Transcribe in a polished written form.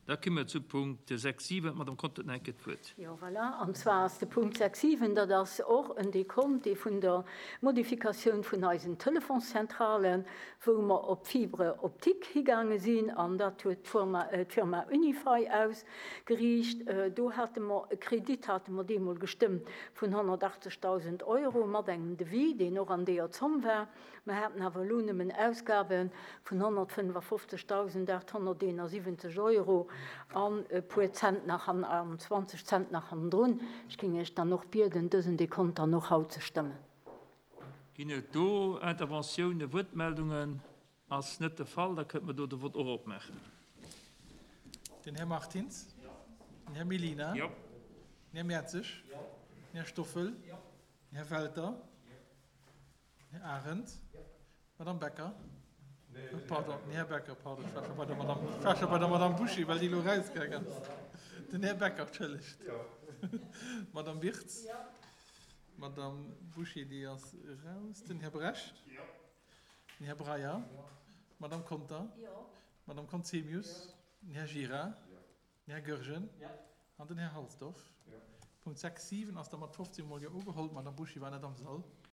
Da komme mer zu Punkt 6, 7. D'Madame Conter huet nach eng Kéier d'Wuert. Jo, voilà. An zwar ass de Punkt 6, 7, dat ass och en Dekont, dee vun der Modifikatioun vun eisen Telefonszentralen, wou mer op Fibre optique higaange sinn, an dat huet d'Firma Unify ausgeriicht. Do hate mer e Kredit, hate mer deemol gestëmmt, vun 180.000 Euro mat engem Devis, deen och an deeër Zomm war. Mer haten awer elo nëmmen Ausgabe vun 155.871 Euro an e puer Cent nach an 20 Cent nach hannendrun. Ech géing Iech dann och bieden, dësen Dekont dann och haut ze stëmmen. Ginn et do Interventiounen, Wuertmeldungen? Ass net de Fall, da kënnte mer do de Vott och opmaachen. Den Här Martins? Den Här Mellina? Jo. Den Här Mertzig? Den Här Stoffel? Den Här Welter? Här Arendt. Madame Becker. Pardon, den Här Becker, pardon, ech war scho bei der Madame, ech war scho bei der Madame Bouchy, well déi elo erausgaang ass. Den Här Becker, entschëllegt. D'Madame Wirtz. D'Madame Bouchy, déi ass eraus. Den Här Brecht. Den Här Breyer. D'Madame Conter. D'Madame Conzemius. Den Här Gira. Den Här Goergen an den Här Halsdorf. Punkt 6, 7 ass da mat 15 mol Jo ugeholl. D'Madame Bouchy war net am Sall.